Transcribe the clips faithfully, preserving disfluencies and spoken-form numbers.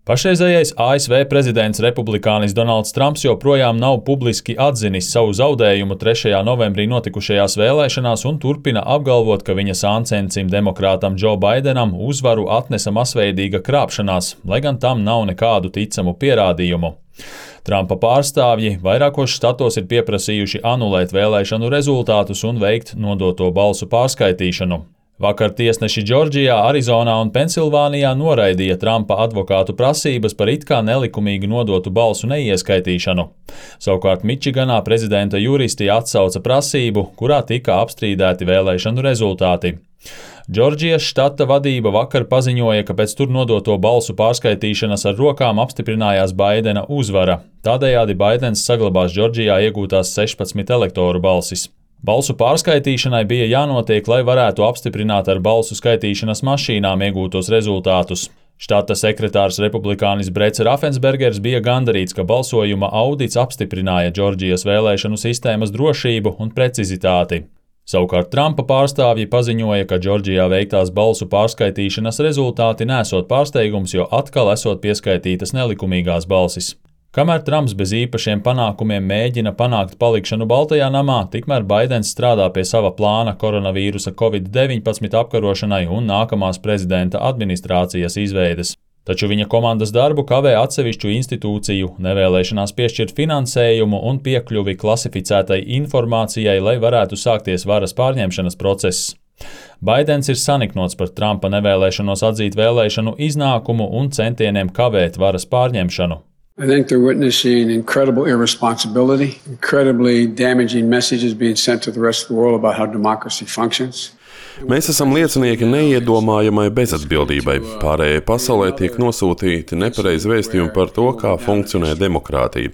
Pašreizējais A S V prezidents republikānis Donalds Trumps joprojām nav publiski atzinis savu zaudējumu trešajā novembrī notikušajās vēlēšanās un turpina apgalvot, ka viņa sāncencim demokrātam Džo Baidenam uzvaru atnesa masveidīga krāpšanās, lai gan tam nav nekādu ticamu pierādījumu. Trumpa pārstāvji vairākos štatos ir pieprasījuši anulēt vēlēšanu rezultātus un veikt nodoto balsu pārskaitīšanu. Vakar tiesneši Džordžijā, Arizonā un Pensilvānijā noraidīja Trumpa advokātu prasības par it kā nelikumīgi nodotu balsu neieskaitīšanu. Savukārt Mičiganā prezidenta juristi atsauca prasību, kurā tika apstrīdēti vēlēšanu rezultāti. Džordžijas štata vadība vakar paziņoja, ka pēc tur nodoto balsu pārskaitīšanas ar rokām apstiprinājās Baidena uzvara. Tādējādi Baidens saglabās Džordžijā iegūtās sešpadsmit elektoru balsis. Balsu pārskaitīšanai bija jānotiek, lai varētu apstiprināt ar balsu skaitīšanas mašīnām iegūtos rezultātus. Štata sekretārs republikānis Brets Raffenspergers bija gandarīts, ka balsojuma audits apstiprināja Džordžijas vēlēšanu sistēmas drošību un precizitāti. Savukārt Trumpa pārstāvji paziņoja, ka Džordžijā veiktās balsu pārskaitīšanas rezultāti nesot pārsteigums, jo atkal esot pieskaitītas nelikumīgās balsis. Kamēr Trumps bez īpašiem panākumiem mēģina panākt palikšanu Baltajā namā, tikmēr Baidens strādā pie sava plāna koronavīrusa covid deviņpadsmit apkarošanai un nākamās prezidenta administrācijas izveides. Taču viņa komandas darbu kavē atsevišķu institūciju nevēlēšanās piešķirt finansējumu un piekļuvi klasificētai informācijai, lai varētu sākties varas pārņemšanas process. Baidens ir saniknots par Trumpa nevēlēšanos atzīt vēlēšanu iznākumu un centieniem kavēt varas pārņemšanu. I think they're witnessing incredible irresponsibility, incredibly damaging messages being sent to the rest of the world about how democracy functions. Mēs esam liecinieki neiedomājamai bezatbildībai. Pārējai pasaulē tiek nosūtīti nepareizi vēstījumi par to, kā funkcionē demokrātija.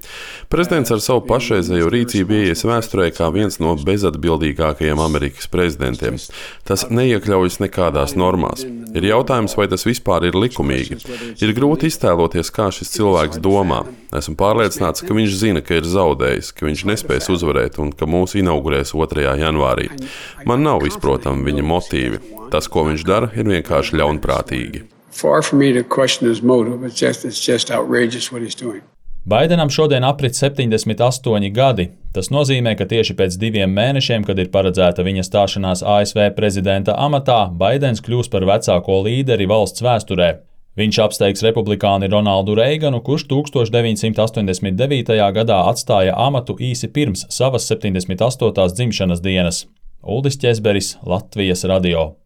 Prezidents ar savu pašreizējo rīcību ieies vēsturē kā viens no bezatbildīgākajiem Amerikas prezidentiem. Tas neiekļaujas nekādās normās. Ir jautājums, vai tas vispār ir likumīgi. Ir grūti iztēloties, kā šis cilvēks domā. Esmu pārliecināts, ka viņš zina, ka ir zaudējis, ka viņš nespēs uzvarēt un ka mūs inaugurēs otrajā janvārī. Man nav izprotami viņa motīvi. Tas, ko viņš dara, ir vienkārši ļaunprātīgi. Baidenam šodien aprit septiņdesmit astoņi gadi. Tas nozīmē, ka tieši pēc diviem mēnešiem, kad ir paredzēta viņa stāšanās A S V prezidenta amatā, Baidens kļūs par vecāko līderi valsts vēsturē. Viņš apsteigs republikāni Ronaldu Reiganu, kurš tūkstoš deviņsimt astoņdesmit devītajā gadā atstāja amatu īsi pirms savas septiņdesmit astotās dzimšanas dienas. Uldis Ķezberis, Latvijas radio.